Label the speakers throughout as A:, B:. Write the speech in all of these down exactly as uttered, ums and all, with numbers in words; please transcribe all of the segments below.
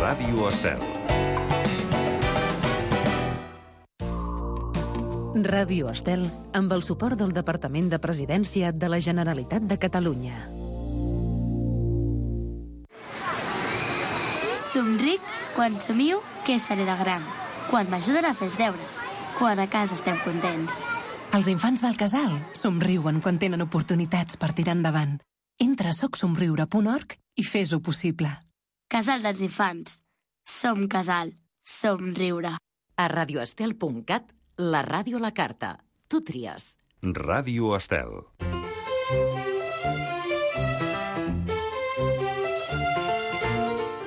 A: Ràdio Estel.
B: Ràdio Estel, amb el suport del Departament de Presidència de la Generalitat de Catalunya.
C: Somric quan somio què seré de gran, quan m'ajuden a fer els deures, quan a casa estem contents.
D: Els infants del casal somriuen quan tenen oportunitats per tirar endavant. Entra a soc somriure punt org i fes-ho possible.
C: Casal dels infants. Som casal. Somriure.
B: A radioestel punt cat, la ràdio a la carta. Tu tries.
A: Ràdio Estel.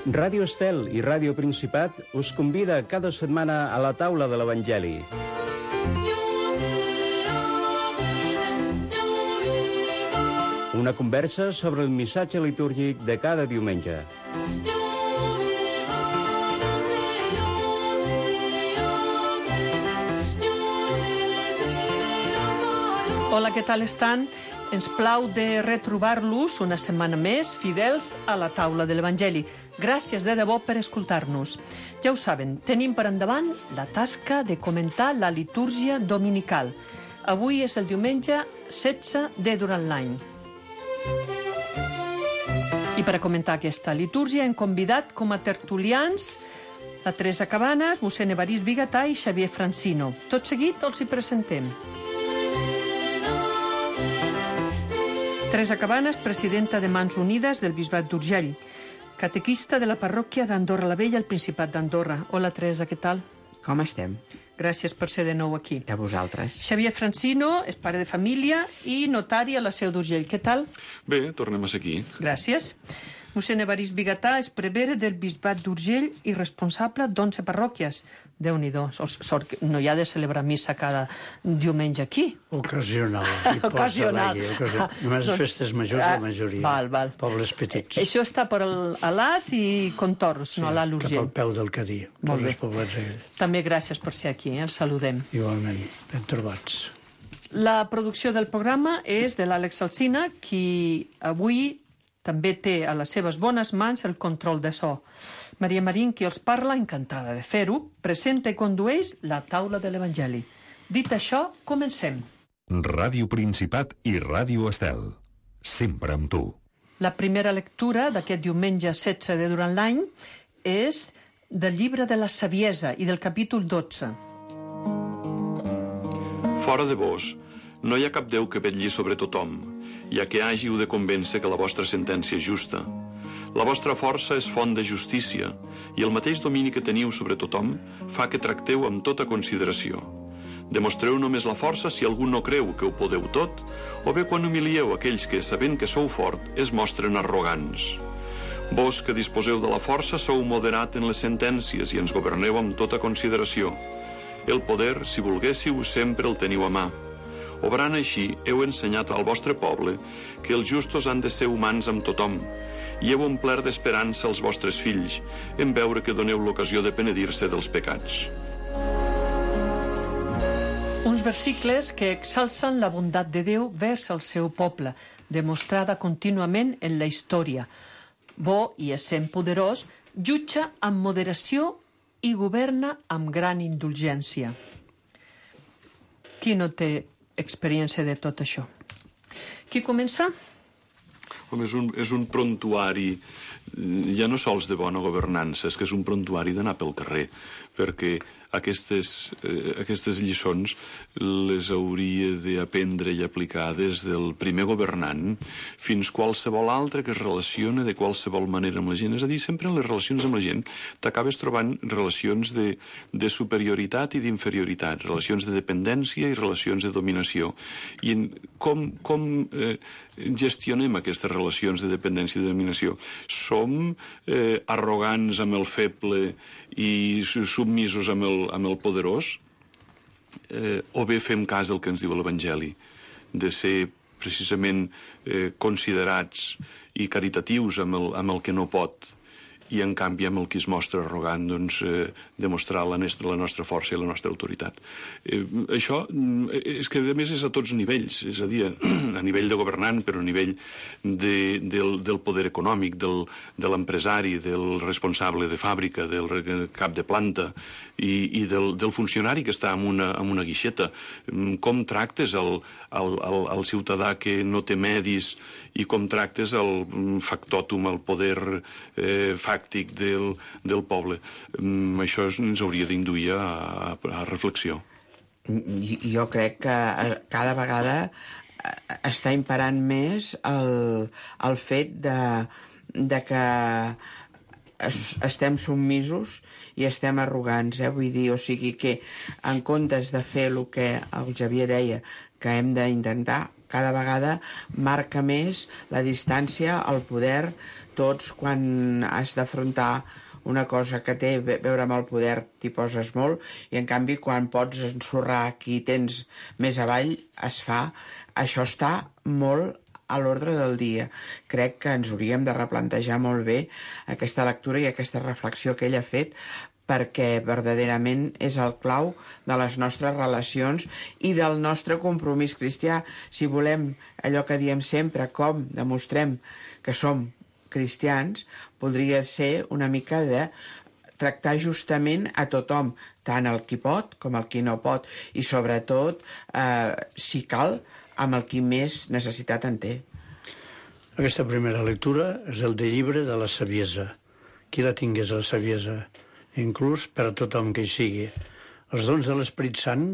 E: Ràdio Estel i Ràdio Principat us convida cada setmana a la taula de l'Evangeli. Una conversa sobre el missatge litúrgic de cada diumenge.
F: Hola, què tal estan? Ens plau de retrobar-los una setmana més, fidels a la taula de l'Evangeli. Gràcies de debò per escoltar-nos. Ja ho saben, tenim per endavant la tasca de comentar la litúrgia dominical. Avui és el diumenge setze de durant l'any. I per a comentar aquesta litúrgia hem convidat com a tertulians la Teresa Cabanes, mossèn Evarist Bigatà i Xavier Francino. Tot seguit els hi presentem. Teresa Cabanes, presidenta de Mans Unides del Bisbat d'Urgell, catequista de la parròquia d'Andorra la Vella, al Principat d'Andorra. Hola, Teresa, què tal?
G: Com estem?
F: Gràcies per ser de nou aquí.
G: A vosaltres.
F: Xavier Francino és pare de família i notari a la Seu d'Urgell. Què tal?
H: Bé, tornem a ser aquí.
F: Gràcies. Mossèn Evarist Bigatà és prevere del Bisbat d'Urgell i responsable d'onze parròquies. Déu-n'hi-do, sort que no hi ha de celebrar missa cada diumenge aquí.
I: Ocasional.
F: Ocasional.
I: Ocasional. Només les festes majors, la majoria.
F: Val, val.
I: Pobles petits.
F: Això està per a l'As i Contorros, no a l'Alt Urgell.
I: Cap al peu del Cadí.
F: Molt bé.
I: Poblets aquells.
F: També gràcies per ser aquí, eh? Els saludem.
I: Igualment, ben trobats.
F: La producció del programa és de l'Àlex Alsina, qui avui també té a les seves bones mans el control de so. Maria Marín, qui els parla, encantada de fer-ho, presenta i condueix la taula de l'Evangeli. Dit això, comencem.
A: Ràdio Principat i Ràdio Estel. Sempre amb tu.
F: La primera lectura d'aquest diumenge setze de durant l'any és del llibre de la Saviesa i del capítol dotze.
H: Fora de vos, no hi ha cap Déu que vetlli sobre tothom, ja que hàgiu de convèncer que la vostra sentència és justa. La vostra força és font de justícia, i el mateix domini que teniu sobre tothom fa que tracteu amb tota consideració. Demostreu només la força si algú no creu que ho podeu tot, o bé quan humilieu aquells que, sabent que sou fort, es mostren arrogants. Vos que disposeu de la força sou moderat en les sentències i ens governeu amb tota consideració. El poder, si volguéssiu, sempre el teniu a mà. Obrant així, heu ensenyat al vostre poble que els justos han de ser humans amb tothom, i heu omplert d'esperança els vostres fills en veure que doneu l'ocasió de penedir-se dels pecats.
F: Uns versicles que exalcen la bondat de Déu vers el seu poble, demostrada contínuament en la història. Bo i essent poderós, jutja amb moderació i governa amb gran indulgència. Qui no té experiència de tot això? Qui comença?
H: Home, és un, és un prontuari, ja no sols de bona governança, és que és un prontuari d'anar pel carrer, perquè aquestes, eh, aquestes lliçons les hauria d'aprendre i aplicar des del primer governant fins qualsevol altre que es relaciona de qualsevol manera amb la gent. És a dir, sempre en les relacions amb la gent t'acabes trobant relacions de, de superioritat i d'inferioritat, relacions de dependència i relacions de dominació. I en, com, com eh, gestionem aquestes relacions de dependència i de dominació? Som eh, arrogants amb el feble i submisos amb el, amb el poderós? Eh, o bé fem cas del que ens diu l'Evangeli, de ser precisament eh, considerats i caritatius amb el, amb el que no pot, i en canvi amb el qui es mostra arrogant doncs, eh, demostrar la nostra, la nostra força i la nostra autoritat. Eh, això és que a més és a tots nivells, és a dir, a nivell de governant, però a nivell de, del, del poder econòmic, del, de l'empresari, del responsable de fàbrica, del cap de planta i, i del, del funcionari que està en una, en una guixeta. Com tractes el, el, el, el ciutadà que no té medis i com tractes el factòtum, el poder eh, fàctic del, del poble. Mm, això ens hauria d'induir a, a reflexió.
G: Jo crec que cada vegada està imperant més el, el fet de, de que estem submisos i estem arrogants, eh? Vull dir, o sigui que en comptes de fer el que el Xavier deia que hem d'intentar, cada vegada marca més la distància, el poder. Tots, quan has d'afrontar una cosa que té a veure amb el poder, t'hi poses molt, i en canvi quan pots ensorrar qui tens més avall, es fa. Això està molt a l'ordre del dia. Crec que ens hauríem de replantejar molt bé aquesta lectura i aquesta reflexió que ell ha fet, perquè verdaderament és el clau de les nostres relacions i del nostre compromís cristià. Si volem allò que diem sempre, com demostrem que som cristians, podria ser una mica de tractar justament a tothom, tant el qui pot com el qui no pot, i sobretot, eh, si cal, amb el qui més necessitat en té.
I: Aquesta primera lectura és el de llibre de la saviesa. Qui la tingués, la saviesa, inclús per a tothom que hi sigui. Els dons de l'Esperit Sant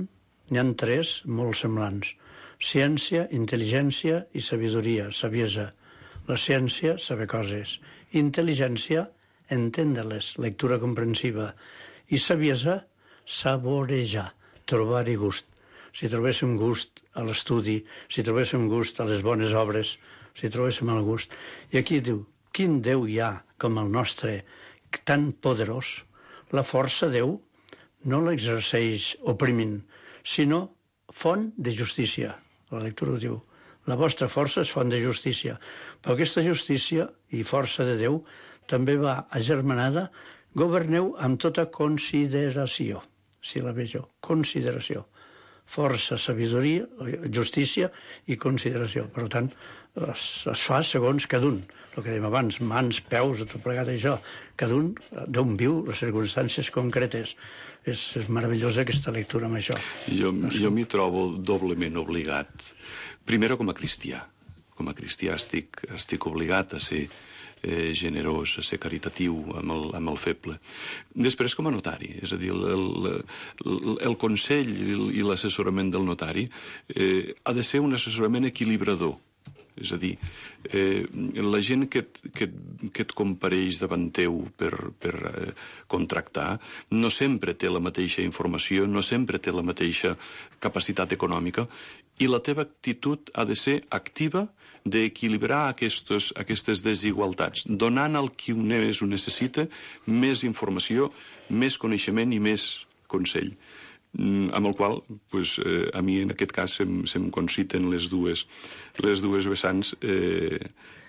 I: n'hi ha tres molt semblants. Ciència, intel·ligència i sabidoria, saviesa. La ciència, saber coses. Intel·ligència, entendre-les, lectura comprensiva. I saviesa, saborejar, trobar-hi gust. Si trobéssim gust a l'estudi, si trobéssim gust a les bones obres, si trobéssim el gust. I aquí diu, quin Déu hi ha com el nostre, tan poderós? La força Déu no l'exerceix oprimint, sinó font de justícia. La lectura ho diu. La vostra força és font de justícia. Però aquesta justícia i força de Déu també va agermanada. Governeu amb tota consideració, si la vegeu, consideració. Força, sabidoria, justícia i consideració. Per tant, es, es fa segons cada un. El que dèiem abans, mans, peus, tot plegat això. Cada un d'on viu les circumstàncies concretes. És, és meravellosa aquesta lectura amb això.
H: Jo, jo m'hi trobo doblement obligat. Primer, com a cristià. Com a cristià estic, estic obligat a ser eh, generós, a ser caritatiu amb el, amb el feble. Després, com a notari, és a dir, el, el, el consell i l'assessorament del notari eh, ha de ser un assessorament equilibrador. És a dir, eh, la gent que et, que, que et compareix davant teu per, per eh, contractar no sempre té la mateixa informació, no sempre té la mateixa capacitat econòmica, i la teva actitud ha de ser activa d'equilibrar aquestes, aquestes desigualtats, donant al qui més ho necessita més informació, més coneixement i més consell. Amb el qual, pues, eh, a mi en aquest cas se'm, se'm conciten les dues, les dues vessants eh,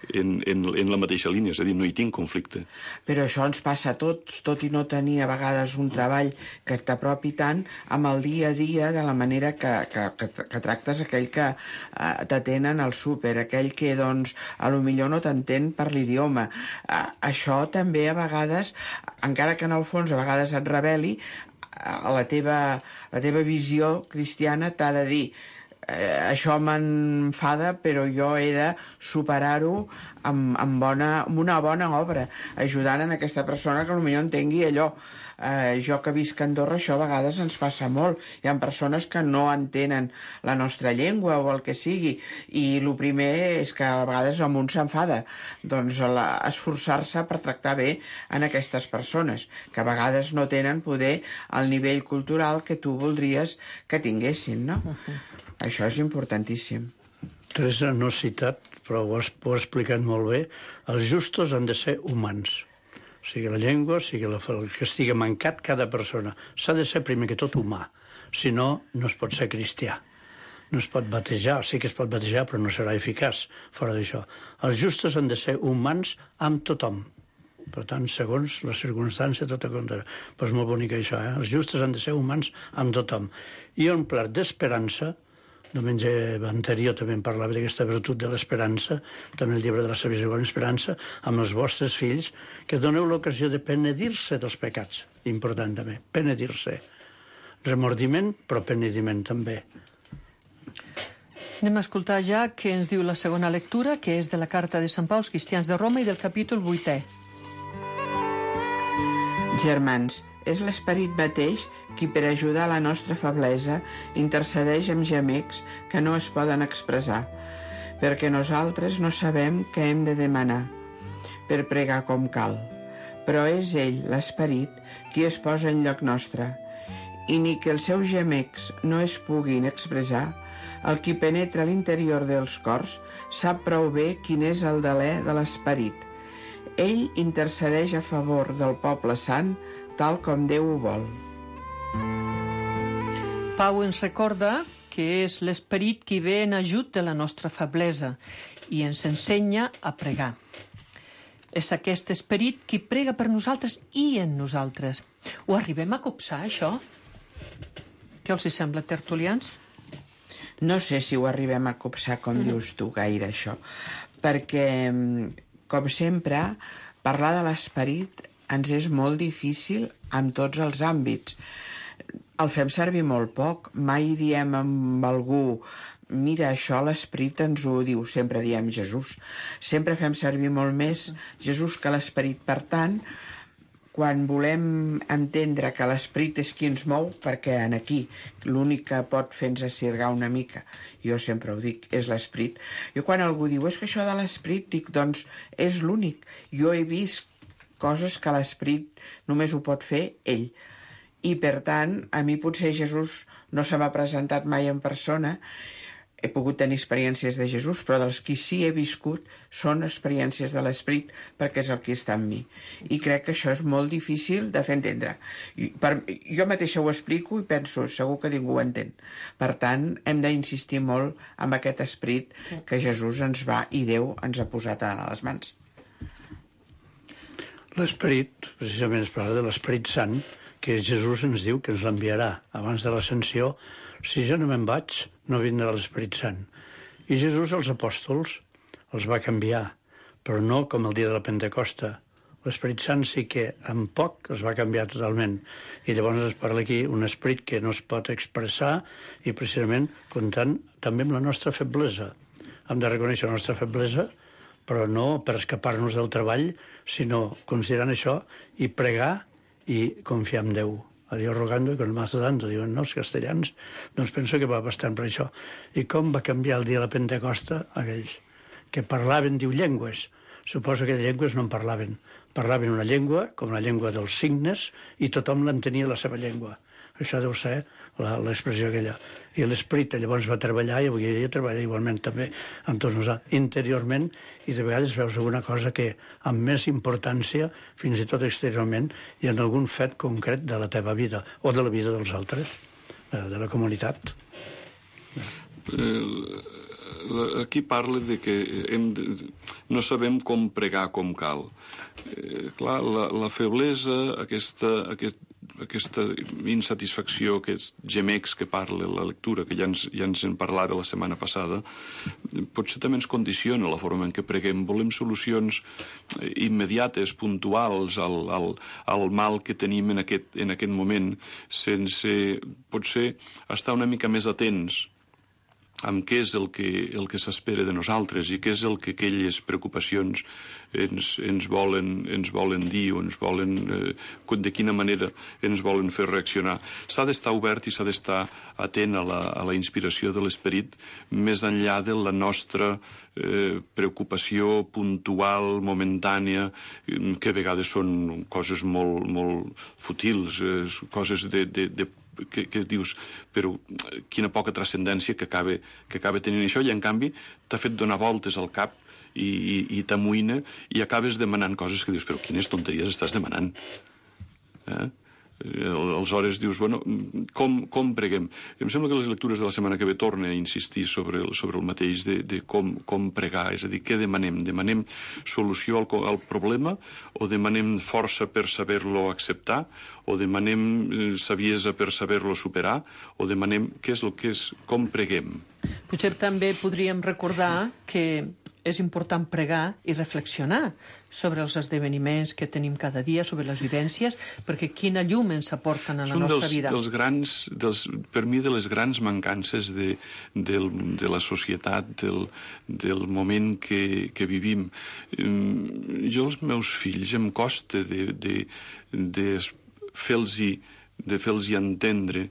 H: en, en, en la mateixa línia, és a dir, no hi tinc conflicte.
G: Però això ens passa a tots, tot i no tenir a vegades un treball que t'apropi tant amb el dia a dia de la manera que, que, que, que tractes aquell que eh, t'atenen al súper, aquell que, doncs, a lo millor no t'entén per l'idioma. Eh, això també a vegades, encara que en el fons a vegades et rebel·li, a la teva, la teva visió cristiana t'ha de dir eh, això m'enfada, però jo he de superar-ho amb, amb, bona, amb una bona obra, ajudant en aquesta persona que potser entengui allò. Eh, jo que visc a Andorra, això a vegades ens passa molt. Hi ha persones que no entenen la nostra llengua o el que sigui, i el primer és que a vegades el món s'enfada. Doncs la, esforçar-se per tractar bé en aquestes persones, que a vegades no tenen poder al nivell cultural que tu voldries que tinguessin, no? Uh-huh. Això és importantíssim.
I: Teresa no ha citat, però ho has, ho has explicat molt bé. Els justos han de ser humans. Sigui la llengua, sigui la, el que estigui mancat cada persona. S'ha de ser primer que tot humà. Si no, no es pot ser cristià. No es pot batejar, sí que es pot batejar, però no serà eficaç fora d'això. Els justos han de ser humans amb tothom. Per tant, segons la circumstància, tot a compte. Però és molt bonic això, eh? Els justos han de ser humans amb tothom. I omplert d'esperança, diumenge anterior també en parlava d'aquesta virtut de l'esperança, també el llibre de la saviesa con esperança, amb els vostres fills, que doneu l'ocasió de penedir-se dels pecats. Important també, penedir-se. Remordiment, però penediment també.
F: Anem a escoltar ja què ens diu la segona lectura, que és de la carta de Sant Pau als cristians de Roma i del capítol vuitè.
G: Germans, és l'esperit mateix qui per ajudar la nostra feblesa intercedeix amb gemecs que no es poden expressar, perquè nosaltres no sabem què hem de demanar per pregar com cal. Però és ell, l'esperit, qui es posa en lloc nostre, i ni que els seus gemecs no es puguin expressar, el qui penetra a l'interior dels cors sap prou bé quin és el delè de l'esperit. Ell intercedeix a favor del poble sant, tal com Déu ho vol.
F: Pau ens recorda que és l'esperit qui ve en ajut de la nostra feblesa i ens ensenya a pregar. És aquest esperit qui prega per nosaltres i en nosaltres. Ho arribem a copsar, això? Què els sembla, tertulians?
G: No sé si ho arribem a copsar, com mm-hmm. dius tu, gaire, això. Perquè, com sempre, parlar de l'esperit ens és molt difícil en tots els àmbits. El fem servir molt poc. Mai diem amb algú, mira, això l'esperit ens ho diu. Sempre diem Jesús. Sempre fem servir molt més Jesús que l'esperit. Per tant, quan volem entendre que l'esperit és qui ens mou, perquè en aquí l'únic que pot fer-nos assirgar una mica, jo sempre ho dic, és l'esperit. Jo quan algú diu, és que això de l'esperit, dic, doncs és l'únic. Jo he vist coses que l'esperit només ho pot fer ell. I per tant, a mi potser Jesús no se m'ha presentat mai en persona. He pogut tenir experiències de Jesús, però dels qui sí he viscut són experiències de l'esperit, perquè és el que està en mi. I crec que això és molt difícil de fer entendre. I per, jo mateixa ho explico i penso, segur que ningú ho entén. Per tant, hem d'insistir molt en aquest esperit que Jesús ens va i Déu ens ha posat a les mans.
I: L'esperit, precisament es parla de l'esperit sant, que Jesús ens diu que ens l'enviarà abans de l'ascensió. Si jo no me'n vaig, no vindrà l'Esperit Sant. I Jesús als apòstols els va canviar, però no com el dia de la Pentecosta. L'Esperit Sant sí que en poc es va canviar totalment. I llavors es parla aquí un esperit que no es pot expressar i precisament comptant també amb la nostra feblesa. Hem de reconèixer la nostra feblesa, però no per escapar-nos del treball, sinó considerant això i pregar i confiar en Déu. A Dios rogando y con más dando, diuen no, els castellans. Doncs penso que va bastant per això. I com va canviar el dia de la Pentecosta aquells que parlaven, diu, llengües. Suposo que llengües no en parlaven. Parlaven una llengua, com la llengua dels signes, i tothom l'entenia la seva llengua. Això deu ser l'expressió aquella. I l'esperit llavors va treballar, i avui dia treballa igualment també amb tots nosaltres, interiorment, i de vegades veus alguna cosa que amb més importància, fins i tot exteriorment, i en algun fet concret de la teva vida, o de la vida dels altres, de la comunitat.
H: Aquí parla de que hem de, no sabem com pregar com cal. Eh, clar, la, la feblesa, aquesta, aquest, aquesta insatisfacció, aquests gemecs que parla la lectura, que ja ens, ja ens en parlava la setmana passada, potser també ens condiciona la forma en què preguem. Volem solucions immediates, puntuals, al, al, al mal que tenim en aquest, en aquest moment, sense potser estar una mica més atents amb què és el que, el que s'espera de nosaltres i què és el que aquelles preocupacions ens, ens, volen, ens volen dir o ens volen, eh, de quina manera ens volen fer reaccionar. S'ha d'estar obert i s'ha d'estar atent a la, a la inspiració de l'esperit més enllà de la nostra eh, preocupació puntual, momentània, que a vegades són coses molt, molt fútils, eh, coses de, de, de Que, que dius, però quina poca transcendència que acaba, que acaba tenint això, i en canvi t'ha fet donar voltes al cap i, i, i t'amoïna i acabes demanant coses que dius, però quines tonteries estàs demanant? Eh? Aleshores dius, bueno, com, com preguem? Em sembla que les lectures de la setmana que ve torna a insistir sobre el, sobre el mateix de, de com, com pregar, és a dir, què demanem? Demanem solució al, al problema o demanem força per saber-lo acceptar o demanem saviesa per saber-lo superar o demanem què és el que és, com preguem?
F: Potser també podríem recordar que és important pregar i reflexionar sobre els esdeveniments que tenim cada dia, sobre les vivències, perquè quina llum ens aporten a la nostra vida.
H: És un dels grans, dels, per mi, de les grans mancances de, del, de la societat, del, del moment que, que vivim. Jo, als meus fills, em costa de, de, de fer-los de fer-los entendre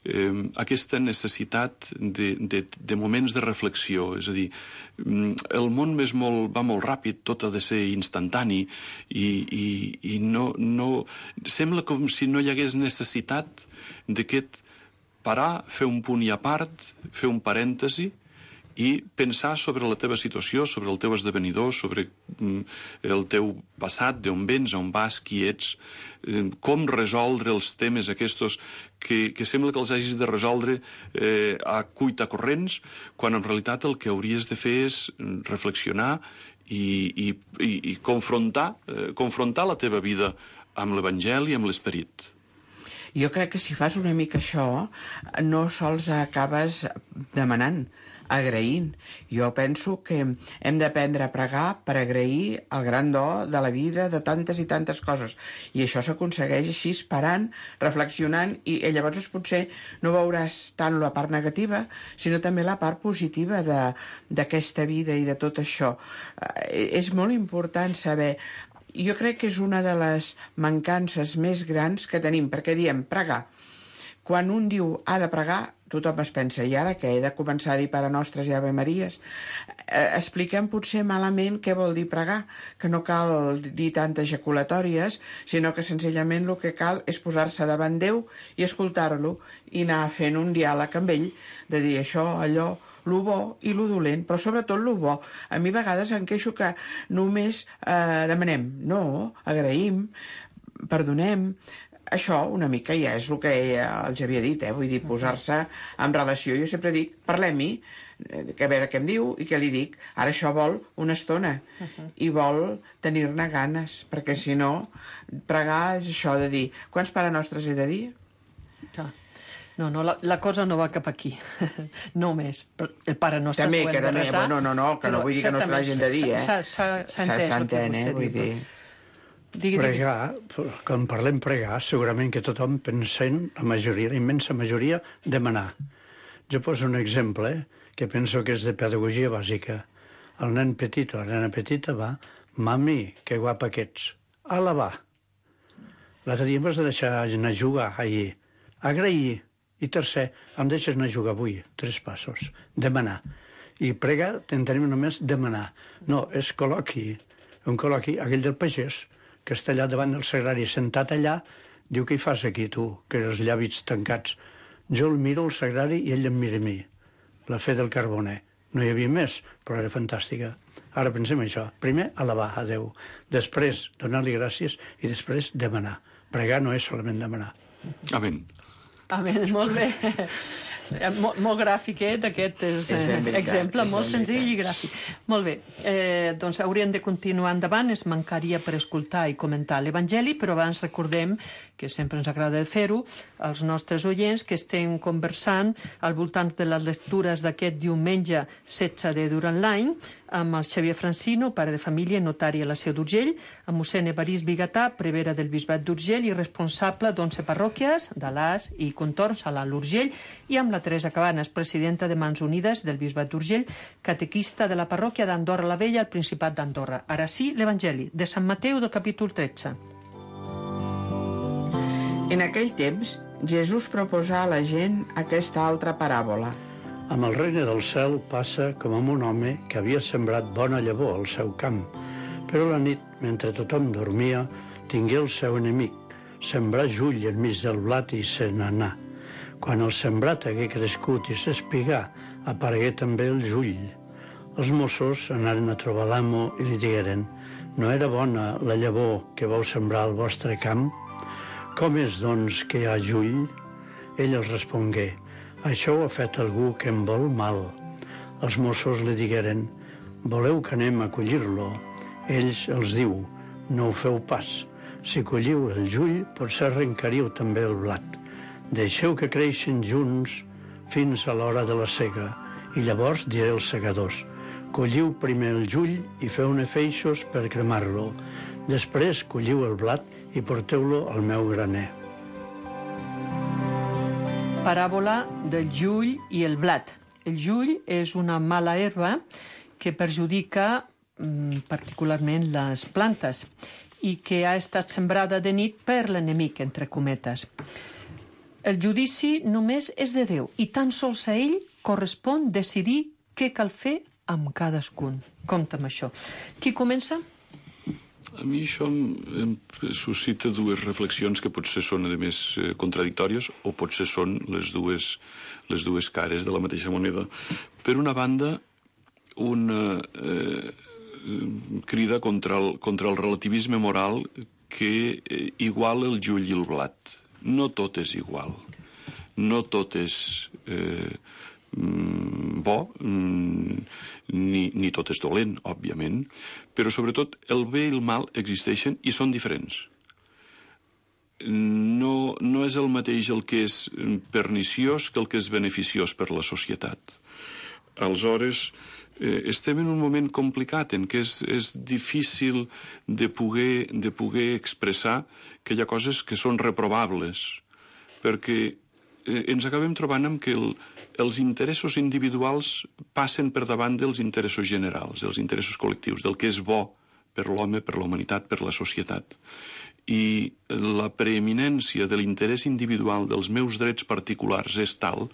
H: eh, aquesta necessitat de, de, de moments de reflexió. És a dir, el món és molt, va molt ràpid, tot ha de ser instantani i, i, i no, no... Sembla com si no hi hagués necessitat d'aquest parar, fer un punt i a part, fer un parèntesi i pensar sobre la teva situació, sobre el teu esdevenidor, sobre el teu passat, d'on vens, on vas, qui ets, com resoldre els temes aquests que, que sembla que els hagis de resoldre eh, a cuitacorrents, quan en realitat el que hauries de fer és reflexionar i, i, i, i confrontar, eh, confrontar la teva vida amb l'Evangeli i amb l'Esperit.
G: Jo crec que si fas una mica això, no sols acabes demanant, agraint. Jo penso que hem d'aprendre a pregar per agrair el gran do de la vida, de tantes i tantes coses. I això s'aconsegueix així, parant, reflexionant, i, i llavors potser no veuràs tant la part negativa, sinó també la part positiva d'aquesta vida i de tot això. Eh, és molt important saber... Jo crec que és una de les mancances més grans que tenim, perquè diem pregar. Quan un diu ha de pregar, tothom es pensa, i ara què, he de començar a dir Pare Nostres i Ave Maries? Eh, expliquem potser malament què vol dir pregar, que no cal dir tantes ejaculatòries, sinó que senzillament el que cal és posar-se davant Déu i escoltar-lo i anar fent un diàleg amb ell, de dir això, allò, lo bo i lo dolent, però sobretot lo bo. A mi a vegades em queixo que només eh, demanem, no, agraïm, perdonem. Això una mica ja és el que els havia dit, eh? Vull dir, posar-se en relació. Jo sempre dic, parlem-hi, que a veure què em diu i què li dic. Ara això vol una estona i vol tenir-ne ganes, perquè si no, pregar és això de dir, quants Pare Nostres he de dir?
F: Clar. No, no, la, la cosa no va cap aquí. No més. El Pare Nostre
G: també,
F: ho hem
G: que
F: de
G: també,
F: resar.
G: No, no, no, que no vull dir que no se l'hagin de dir, eh?
F: S'ha entès el que vostè
G: vull
F: diu.
G: dir...
I: Digui, pregar, quan parlem pregar, segurament que tothom pensem, la majoria, la immensa majoria, demanar. Jo poso un exemple que penso que és de pedagogia bàsica. El nen petit o la nena petita va, mami, que guapa que ets, a lavar. L'altre dia em vas deixar anar a jugar ahir, agrair. I tercer, em deixes anar a jugar avui, tres passos, demanar. I pregar, t'entenem només demanar. No, és col·loqui, un col·loqui, aquell del pagès, que està allà davant del sagrari, sentat allà, diu, què hi fas aquí, tu, que els llavis tancats? Jo el miro, el sagrari, i ell em mira a mi. La fe del carboner. No hi havia més, però era fantàstica. Ara pensem això. Primer, alabar a Déu. Després, donar-li gràcies, i després, demanar. Pregar no és solament demanar.
H: Amén.
F: Amén, molt bé. Molt, molt gràfic, eh, d'aquest eh, exemple, molt senzill i gràfic. Molt bé, eh, doncs hauríem de continuar endavant, es mancaria per escoltar i comentar l'Evangeli, però abans recordem, que sempre ens agrada fer-ho, als nostres oients que estem conversant al voltant de les lectures d'aquest diumenge setze de durant l'any, amb el Xavier Francino, pare de família, notari a la Seu d'Urgell, amb mossèn Evarist Bigatà, prevere del Bisbat d'Urgell i responsable d'onze parròquies, d'Alàs i contorns a l'Alt Urgell, i amb la Teresa Cabanes, presidenta de Mans Unides del Bisbat d'Urgell, catequista de la parròquia d'Andorra la Vella al Principat d'Andorra. Ara sí, l'Evangeli, de Sant Mateu, del capítol tretze.
G: En aquell temps, Jesús proposà a la gent aquesta altra paràbola.
I: Amb el regne del cel passa com amb un home que havia sembrat bona llavor al seu camp, però la nit, mentre tothom dormia, tingué el seu enemic, sembrar jull enmig del blat i se n'anà. Quan el sembrat hagué crescut i s'espigà, aparegué també el jull. Els mossos anaren a trobar l'amo i li digueren: «No era bona la llavor que vau sembrar al vostre camp? Com és, doncs, que hi ha jull? Ell els respongué: això ho ha fet algú que em vol mal. Els Mossos li digueren: voleu que anem a collir-lo? Ells els diu: no ho feu pas. Si colliu el jull, potser arrencaríeu també el blat. Deixeu que creixin junts fins a l'hora de la sega, i llavors diré als segadors: colliu primer el jull i feu-ne feixos per cremar-lo. Després colliu el blat i porteu-lo al meu graner.
F: Paràbola del jull i el blat. El jull és una mala herba que perjudica mm, particularment les plantes i que ha estat sembrada de nit per l'enemic, entre cometes. El judici només és de Déu i tan sols a ell correspon decidir què cal fer amb cadascun. Compte amb això. Qui comença?
H: A mi això em, em suscita dues reflexions que potser són, a més, eh, contradictòries o potser són les dues, les dues cares de la mateixa moneda. Per una banda, una eh, crida contra el, contra el relativisme moral que eh, iguala el jull i el blat. No tot és igual. No tot és eh, bo, ni, ni tot és dolent, òbviament, però sobretot el bé i el mal existeixen i són diferents. No, no és el mateix el que és perniciós que el que és beneficiós per la societat. Aleshores, eh, estem en un moment complicat en què és, és difícil de poder, de poder expressar que hi ha coses que són reprovables, perquè eh, ens acabem trobant amb que el, els interessos individuals passen per davant dels interessos generals, dels interessos col·lectius, del que és bo per l'home, per la humanitat, per la societat. I la preeminència de l'interès individual dels meus drets particulars és tal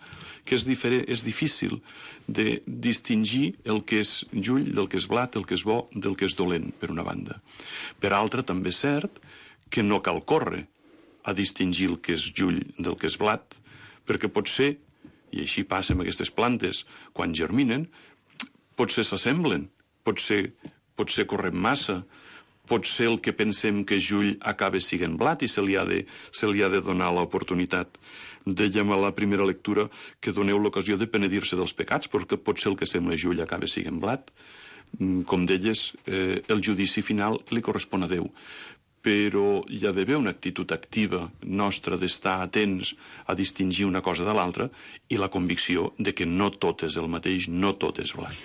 H: que és, diferent, és difícil de distingir el que és jull del que és blat, el que és bo del que és dolent, per una banda. Per altra, també és cert que no cal córrer a distingir el que és jull del que és blat, perquè potser, i així passa amb aquestes plantes, quan germinen, potser s'assemblen, potser, potser correm massa, potser el que pensem que és jull acaba sent blat i se li ha de, se li ha de donar l'oportunitat. Dèiem a la primera lectura que doneu l'ocasió de penedir-se dels pecats, perquè potser el que sembla jull acaba sent blat. Com deies, eh, el judici final li correspon a Déu. Però hi ha d'haver una actitud activa nostra d'estar atents a distingir una cosa de l'altra i la convicció de que no tot és el mateix, no tot és blat.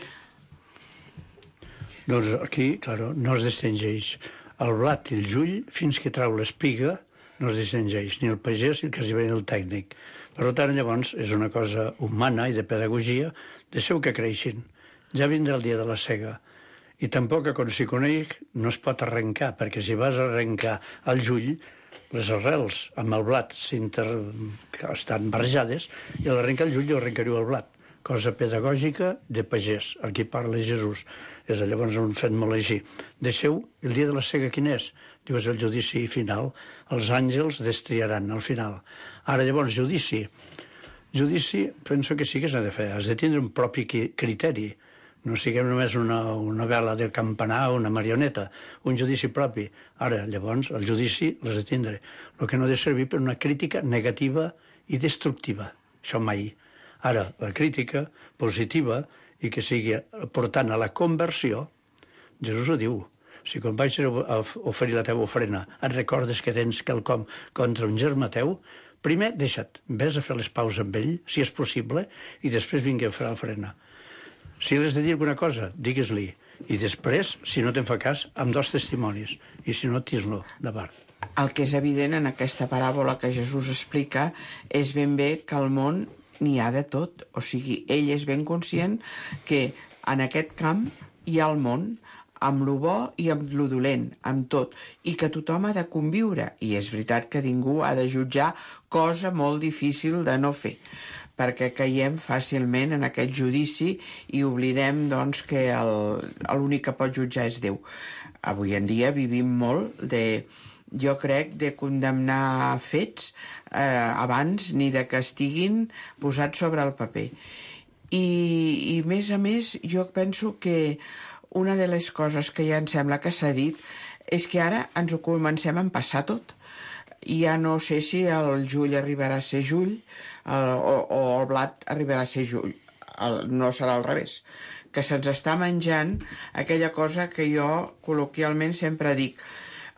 I: Doncs aquí, claro, no es distingeix el blat i el jull fins que trau l'espiga, no es distingeix ni el pagès ni el que s'hi ve el tècnic. Per tant, llavors, és una cosa humana i de pedagogia, deixeu que creixin. Ja vindrà el dia de la sega. I tampoc, quan s'hi coneix, no es pot arrencar, perquè si vas a arrencar el jull, les arrels amb el blat estan barrejades, i a l'arrencar el jull jo arrencaria el blat. Cosa pedagògica de pagès. Aquí parla Jesús. És llavors un fet molt així. Deixeu, el dia de la sega quin és? Diu, és el judici final. Els àngels destriaran al final. Ara, llavors, judici. Judici, penso que sí que s'ha de fer. Has de tindre un propi criteri. No siguem només una, una vela del campanar o una marioneta. Un judici propi. Ara, llavors, el judici l'has de tindre. El que no ha de servir per una crítica negativa i destructiva. Això mai. Ara, la crítica positiva i que sigui portant a la conversió, Jesús ho diu. Si quan vaig a oferir la teva ofrena et recordes que tens quelcom contra un germà teu, primer deixa't, vés a fer les paus amb ell, si és possible, i després vingui a fer l'ofrena. Si l'has de dir alguna cosa, digues-li. I després, si no te'n fa cas, amb dos testimonis. I si no, tis-lo davant.
G: El que és evident en aquesta paràbola que Jesús explica és ben bé que el món n'hi ha de tot. O sigui, ell és ben conscient que en aquest camp hi ha el món, amb lo bo i amb lo dolent, amb tot, i que tothom ha de conviure. I és veritat que ningú ha de jutjar, cosa molt difícil de no fer, perquè caiem fàcilment en aquest judici i oblidem, doncs, que l'únic que pot jutjar és Déu. Avui en dia vivim molt de... jo crec, de condemnar fets eh, abans ni de que estiguin posats sobre el paper. I, i més a més, jo penso que una de les coses que ja em sembla que s'ha dit és que ara ens ho comencem a empassar tot. i ja no sé si el jull arribarà a ser jull el, o, o el blat arribarà a ser jull. El, no serà al revés. Que se'ns està menjant aquella cosa que jo col·loquialment sempre dic.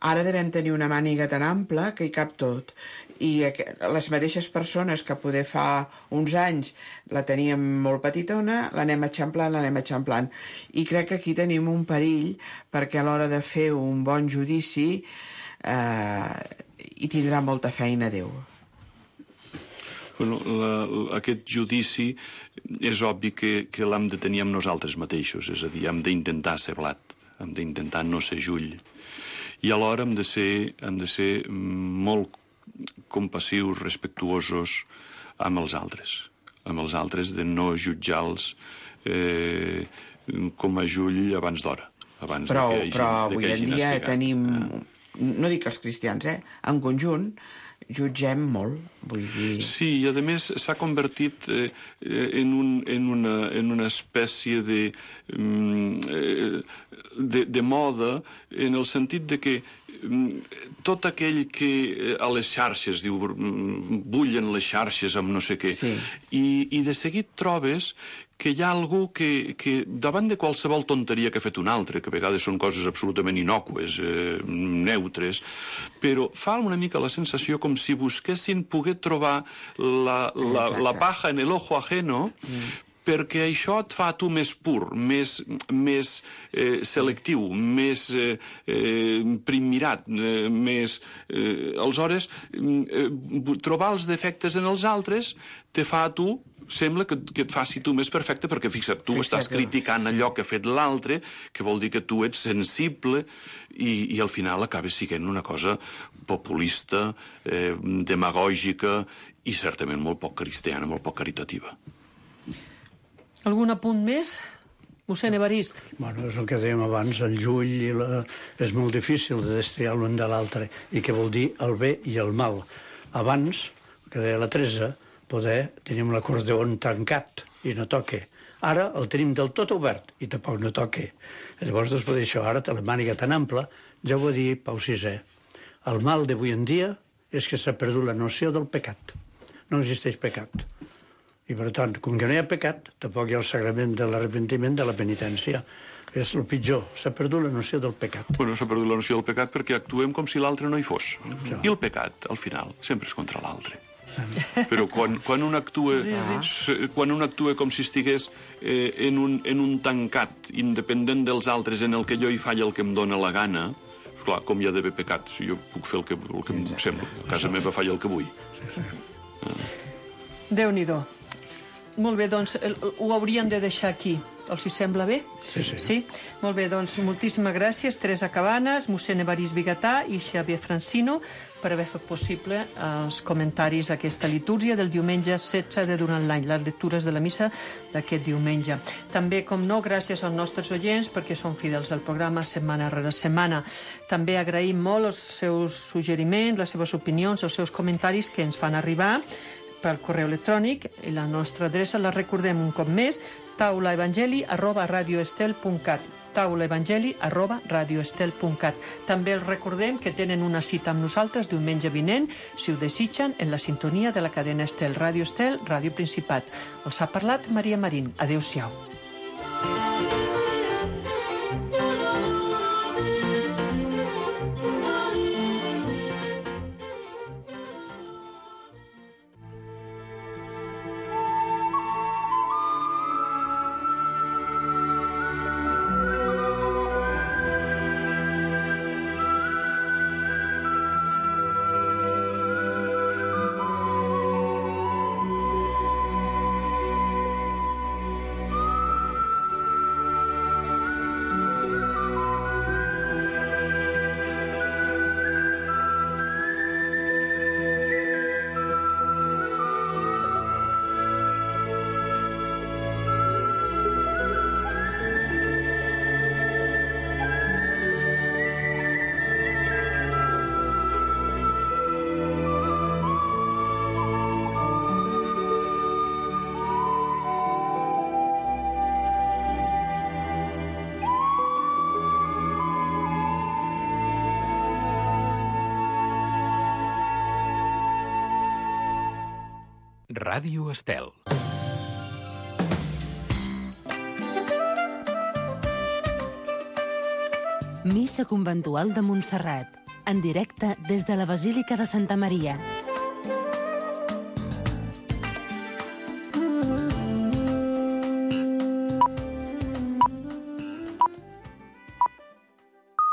G: Ara devem tenir una màniga tan ampla que hi cap tot. I les mateixes persones que poder fa uns anys la teníem molt petitona, l'anem eixamplant, l'anem eixamplant. I crec que aquí tenim un perill perquè a l'hora de fer un bon judici eh, hi tindrà molta feina Déu.
H: Bueno, la, aquest judici és obvi que, que l'hem de tenir amb nosaltres mateixos, és a dir, hem d'intentar ser blat, hem d'intentar no ser jull. I alhora hem de ser, hem de ser molt compassius, respectuosos amb els altres, amb els altres, de no jutjar-los eh, com a jull abans d'hora. Abans
G: però
H: de que hagin,
G: però
H: de
G: avui
H: que
G: en dia
H: espigat.
G: tenim, no dic els cristians, eh? En conjunt, jutgem molt, vull dir...
H: Sí, i a més s'ha convertit eh, en, un, en, una, en una espècie de, eh, de, de moda, en el sentit de que tot aquell que a les xarxes, diu, bullen les xarxes amb no sé què, sí. I, i de seguit trobes que hi ha algú que, que davant de qualsevol tonteria que ha fet un altre, que a vegades són coses absolutament innòcues, eh, neutres, però fa una mica la sensació com si busquessin poder trobar la, la, la paja en el ojo ajeno, mm. perquè això et fa a tu més pur, més, més eh, selectiu, més eh, eh, primmirat, eh, més... Eh, aleshores, eh, trobar els defectes en els altres te fa a tu, sembla que, que et faci tu més perfecte, perquè fixa't, tu fixa't estàs criticant allò que ha fet l'altre, que vol dir que tu ets sensible, i, i al final acabes sent una cosa populista, eh, demagògica, i certament molt poc cristiana, molt poc caritativa.
F: Algun apunt més? Mossèn Evarist.
I: Bueno, és el que dèiem abans, el jull i la... és molt difícil de destriar l'un de l'altre, i què vol dir el bé i el mal. Abans, que deia la Teresa, poder tenim l'acordeon tancat i no toque. Ara el tenim del tot obert i tampoc no toque. Llavors, després d'això, ara té la màniga tan ampla, ja ho va dir Pau sisè. El mal d'avui en dia és que s'ha perdut la noció del pecat. No existeix pecat. I, per tant, com que no hi ha pecat, tampoc hi ha el sagrament de l'arrepentiment, de la penitència. És el pitjor, s'ha perdut la noció del pecat.
H: Bueno, s'ha perdut la noció del pecat perquè actuem com si l'altre no hi fos. Ja. I el pecat, al final, sempre és contra l'altre. Però quan, quan, un actua, sí, sí. quan un actua com si estigués eh, en, un, en un tancat, independent dels altres, en el que jo hi faig el que em dóna la gana, clar, com hi ha d'haver pecat, si jo puc fer el que, el que em sembla, a casa meva faig el que vull. Sí, sí.
F: Ah. Déu-n'hi-do. Molt bé, doncs el, ho hauríem de deixar aquí. Els hi sembla bé?
I: Sí, sí.
F: Sí? Molt bé, doncs moltíssimes gràcies, Teresa Cabanes, mossèn Evarist Bigatà i Xavier Francino per haver fet possible els comentaris a aquesta litúrgia del diumenge setze de durant l'any, les lectures de la missa d'aquest diumenge. També, com no, gràcies als nostres oients perquè són fidels al programa setmana rere setmana. També agraïm molt els seus suggeriments, les seves opinions, els seus comentaris que ens fan arribar per correu electrònic, i la nostra adreça la recordem un cop més, taulaevangeli arroba radioestel punt cat, taulaevangeli arroba radioestel punt cat. També els recordem que tenen una cita amb nosaltres diumenge vinent, si ho desitgen, en la sintonia de la cadena Estel, Ràdio Estel, Ràdio Principat. Els ha parlat Maria Marín. Adéu-siau.
A: Ràdio Estel.
B: Missa conventual de Montserrat, en directe des de la Basílica de Santa Maria.